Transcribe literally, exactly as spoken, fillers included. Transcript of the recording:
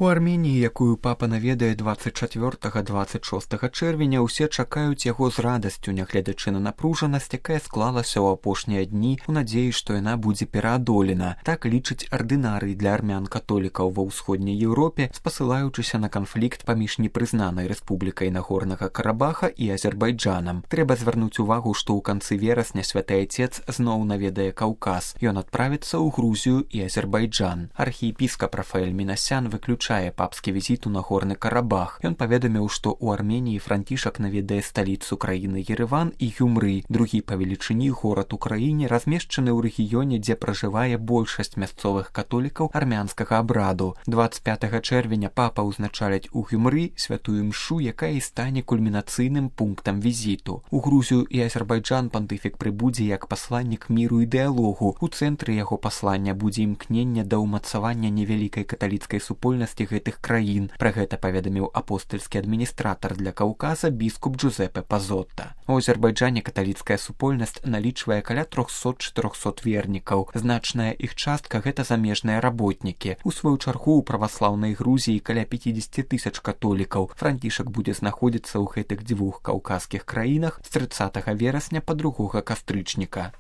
У Арменіі, якую папа наведае дваццаць чацвёртага - дваццаць шостага чэрвеня, усе чакаюць яго з радасцю, нягледзячы на напружанасць, якая склалася ў апошнія дні у надзеі, што яна будзе пераадолена. Так лічыць ардынарый для армян-католікаў ва ўсходняй Еўропе, спасылаючыся на канфлікт паміж непрызнанай рэспублікай Нагорнага Карабаха і Азербайджанам. Трэба звярнуць увагу, што ў канцы верасня святы айцец зноў наведае Каўказ. Ён адправіцца ў Грузію і Азербайджан. Архіепіскап Рафаэль Мінасян выключае папскі візіт у Нагорны Карабах. Ён паведаміў, што ў Арменіі Францішак наведае сталіцу краіны Ерэван і Гюмры, другі па велічыні горад у краіне, размешчаны ў рэгіёне, дзе пражывае большасць мясцовых католікаў армянскага абраду. дваццаць пятага чэрвеня папа ўзначаліць у Гюмры святую мшу, якая і стане кульмінацыйным пунктам візіту. У Грузію і Азербайджан пантыфік прыбудзе як пасланнік міру і дыялогу. У цэнтры яго паслання будзе імкненне да ўмацавання невялікай каталіцкай супольнасці гэтых краін. Пра гэта паведаміў апостальскі адміністратар для Каўказа біскуп Джузепе Пазотта. У Азербайджане каталіцкая супольнасць налічвае каля трохсот-чатырохсот вернікаў. Значная іх частка гэта замежныя работнікі. У сваю чаргу ў праваслаўнай Грузіі каля пяцьдзесят тысяч католікаў. Францішак будзе знаходзіцца ў гэтых дзвюх каўказскіх краінах з трыццатага верасня па другога кастрычніка.